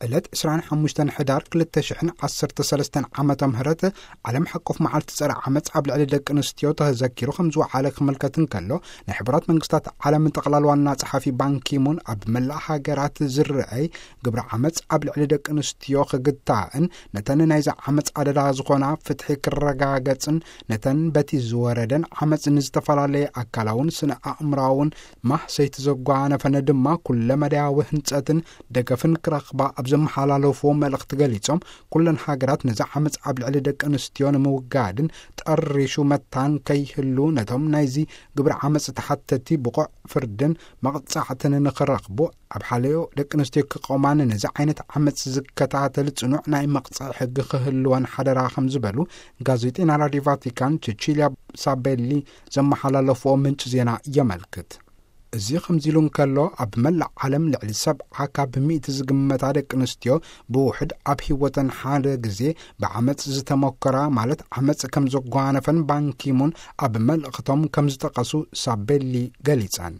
ዕለት ዕስራን ሓሙሽተን ሕዳር ክልተ ሽሕን ዓሰርተ ሰለስተን ዓመተ ምህረት ዓለም ሓቆፍ መዓልቲ ጸረ ዓመጽ ኣብ ልዕሊ ደቂ ኣንስትዮ ተዘኪሩ ከም ዝወዓለ ክምልከት እንከሎ፣ ናይ ሕቡራት መንግስታት ዓለም ጠቕላል ዋና ጸሓፊ ባንኪሙን ኣብ መላእ ሃገራት ዝረኣይ ግብረ ዓመጽ ኣብ ልዕሊ ደቂ ኣንስትዮ ክግታእን ነተን ናይዚ ዓመጽ ኣደዳ ዝኾና ፍትሒ ክረጋገጽን ነተን በቲ ዝወረደን ዓመጽ ንዝተፈላለየ ኣካላውን ስነ ኣእምራውን ማህሰይቲ ዘጓነፈን ድማ ኩለ መዳያዊ ህንጸትን ደገፍን ክረኽባ ኣብ ዘመሓላለፍዎ መልእኽቲ ገሊጾም፣ ኩለን ሃገራት ነዚ ዓመጽ ኣብ ልዕሊ ደቂ ኣንስትዮ ንምውጋድን ጠሪሹ መታን ከይህሉ ነቶም ናይዚ ግብረ ዓመጽ ተሓተቲ ብቑዕ ፍርድን መቕጻዕትን ንኽረኽቡ፣ ኣብ ሓለዮ ደቂ ኣንስትዮ ክቆማን ነዚ ዓይነት ዓመጽ ዝከታተል ጽኑዕ ናይ መቕጻዒ ሕጊ ክህልወን ሓደራ ከም ዝበሉ ጋዜጠኛ ራዲዮ ቫቲካን ቸቺልያ ሳቤሊ ዘመሓላለፍዎ ምንጪ ዜና የመልክት። እዚ ከምዚ ኢሉ እንከሎ፣ ኣብ መላእ ዓለም ልዕሊ ሰብዓ ካብ ሚእቲ ዝግመታ ደቂ ኣንስትዮ ብውሕድ ኣብ ህይወተን ሓደ ግዜ ብዓመጽ ዝተመኮራ፣ ማለት ዓመጽ ከም ዘጓነፈን ባንኪሙን ኣብ መልእኽቶም ከም ዝጠቐሱ ሳቤሊ ገሊጸን።